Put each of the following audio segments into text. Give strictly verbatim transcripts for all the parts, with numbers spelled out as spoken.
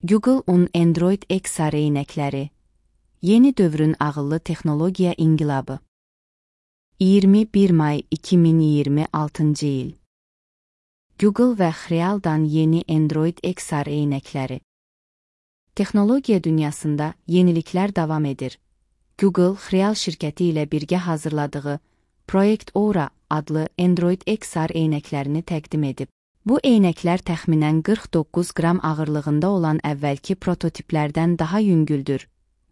Google-un Android X R eynəkləri. Yeni dövrün ağıllı texnologiya inqilabı. iyirmi bir may iki min iyirmi altıncı il. Google və Xrealdan yeni Android X R eynəkləri. Texnologiya dünyasında yeniliklər davam edir. Google, Xreal şirkəti ilə birgə hazırladığı Project Aura adlı Android X R eynəklərini təqdim edib. Bu eynəklər təxminən qırx doqquz qram ağırlığında olan əvvəlki prototiplərdən daha yüngüldür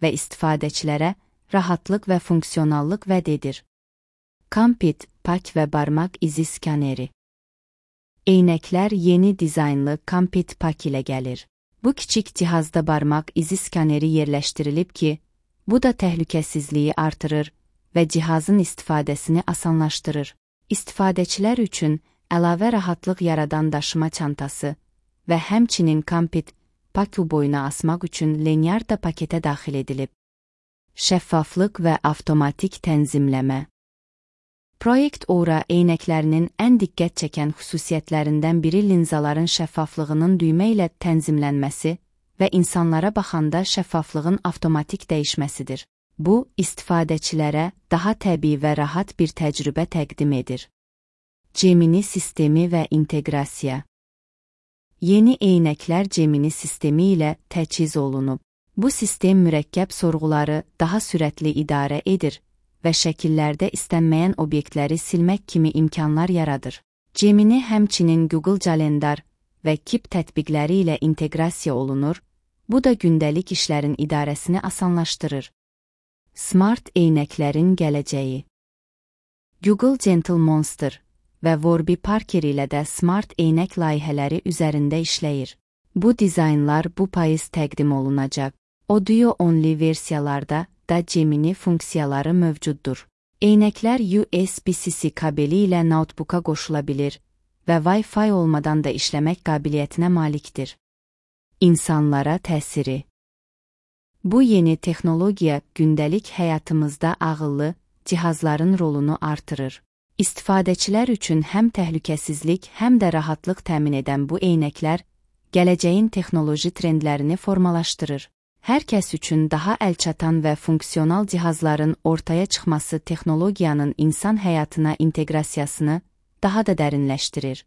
və istifadəçilərə rahatlıq və funksionallıq vəd edir. Compit, pak və barmaq izi skaneri. Eynəklər yeni dizaynlı Compit pak ilə gəlir. Bu kiçik cihazda barmaq izi skaneri yerləşdirilib ki, bu da təhlükəsizliyi artırır və cihazın istifadəsini asanlaşdırır. İstifadəçilər üçün əlavə rahatlıq yaradan daşıma çantası və həmçinin Compit paku boyuna asmaq üçün lanyard da paketə daxil edilib. Şəffaflıq və avtomatik tənzimləmə. Project Aura eynəklərinin ən diqqət çəkən xüsusiyyətlərindən biri linzaların şəffaflığının düymə ilə tənzimlənməsi və insanlara baxanda şəffaflığın avtomatik dəyişməsidir. Bu, istifadəçilərə daha təbii və rahat bir təcrübə təqdim edir. Gemini sistemi və inteqrasiya. Yeni eynəklər Gemini sistemi ilə təchiz olunub. Bu sistem mürəkkəb sorğuları daha sürətli idarə edir və şəkillərdə istənməyən obyektləri silmək kimi imkanlar yaradır. Gemini həmçinin Google Calendar və Keep tətbiqləri ilə inteqrasiya olunur, bu da gündəlik işlərin idarəsini asanlaşdırır. Smart eynəklərin gələcəyi. Google Gentle Monster və Warby Parker ilə də smart eynək layihələri üzərində işləyir. Bu dizaynlar bu payız təqdim olunacaq. Audio only versiyalarda da Gemini funksiyaları mövcuddur. Eynəklər U S B C kabeli ilə notebooka qoşula bilir və Wi-Fi olmadan da işləmək qabiliyyətinə malikdir. İnsanlara təsiri. Bu yeni texnologiya gündəlik həyatımızda ağıllı cihazların rolunu artırır. İstifadəçilər üçün həm təhlükəsizlik, həm də rahatlıq təmin edən bu eynəklər gələcəyin texnoloji trendlərini formalaşdırır. Hər kəs üçün daha əlçatan və funksional cihazların ortaya çıxması texnologiyanın insan həyatına inteqrasiyasını daha da dərinləşdirir.